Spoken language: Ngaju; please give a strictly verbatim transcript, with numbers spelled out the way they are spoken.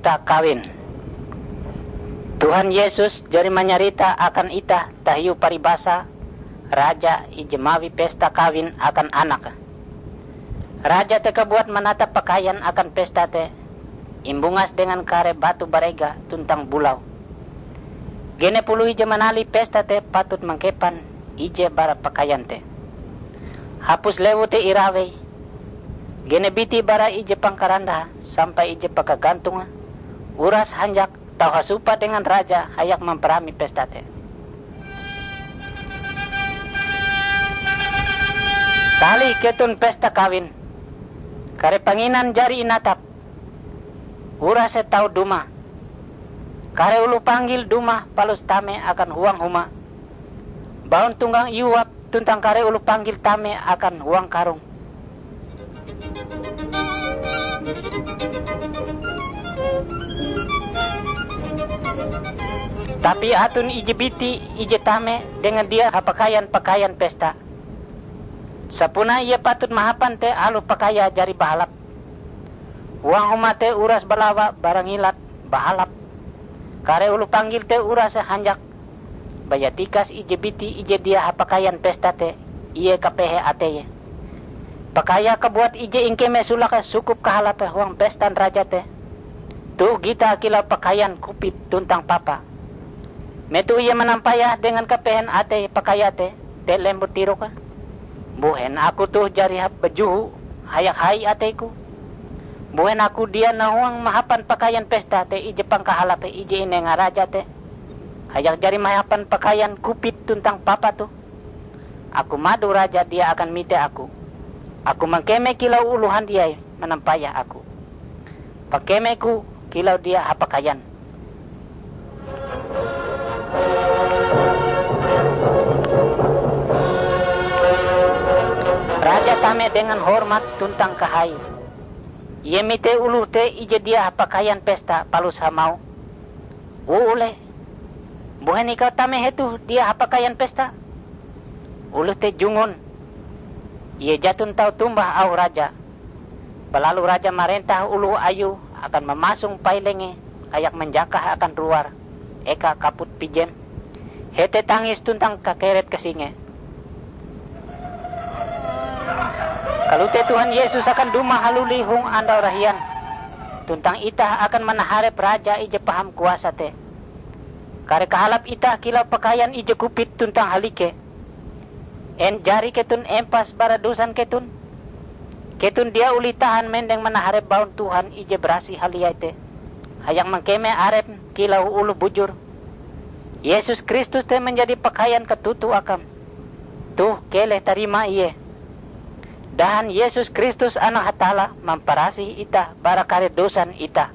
Pesta kawin. Tuhan Yesus jari manyarita akan itah tahiu paribasa raja ije mawi pesta kawin akan anake. Raja te kabuat manatap pakaian akan pesta te, imbungas dengan kare batu barega tuntang bulau. Genep oloh ije manalih pesta te patut mangkepan ije bara pakaian te. Hapus lewu te irawei, genep biti bara ije pangkarandahe sampai ije pakagantonge, uras hanjak tau hasumpah dengan raja hayak mamparami pesta te. Talih keton pesta kawin. Kare panginan jari inatap. Urase tau dumah. Kare oloh panggil dumah palus tame akan huang huma. Baun tunggang iuap tuntang kare oloh panggil tame akan huang karung. Tapi aton ije biti ije tame dengan dia hapakaian pakaian pesta. Sapunae ie patut mahapan te aloh pakaiae jari bahalap. Huang huma te uras balawa bara ngilat bahalap. Kare oloh panggil te urase hanjak. Baya tikas ije biti ije dia hapakaian pesta te, ie kapehe ateie. Pakaiae kabuat ije ingkeme sulake sukup kahalape huang pestan raja te. Toh gitae kilau pakaian kupit tuntang papa. Metoh ie manampayah dengan kapehen atei pakaiae te, te lembut tiroke, "Mbuhen aku toh jari hap bajoho hayak hai ateiku? Mbuhen aku dia nahuang mahapan pakaian pesta te ije pangkahalape ije inenga raja te, hayak jari mahapan pakaian kupit tuntang papa toh? Aku mado raja dia akan mite aku. Aku mangkeme kilau oloh handiai manampayah aku. Pangkemeku kilau dia hapakaian." Raja tame dengan hormat tuntang kahai. Ie mite oloh te ije dia hapakaian pesta palus hamauh, "Wuleh, mbuhen ikau tame hetoh dia hapakaian pesta?" Oloh te jungun. Ie jaton tau tombah auh raja. Balalu raja marentah oloh ayue akan mamasong pailenge hayak manjakah akan ruar eka kaput pijem, hete tangis tuntang kakeret kasinge. Kalote Tuhan Yesus akan dumah haluli hong andau rahian, tuntang itah akan manaharep Raja ije paham kuasa te. Kare kahalap itah kilau pakaian ije kupit tuntang halike. En jari keton empas bara dosan keton? Keton dia olih tahan mendeng manaharep baun Tuhan ije barasih haliai te, hayak mangkeme arepm kilau oloh bujur. Yesus Kristus te manjadi pakaian katoto akam. Toh keleh tarima Ie. Dahan Yesus Kristus Anak Hatalla mamparasih itah bara kare dosan itah.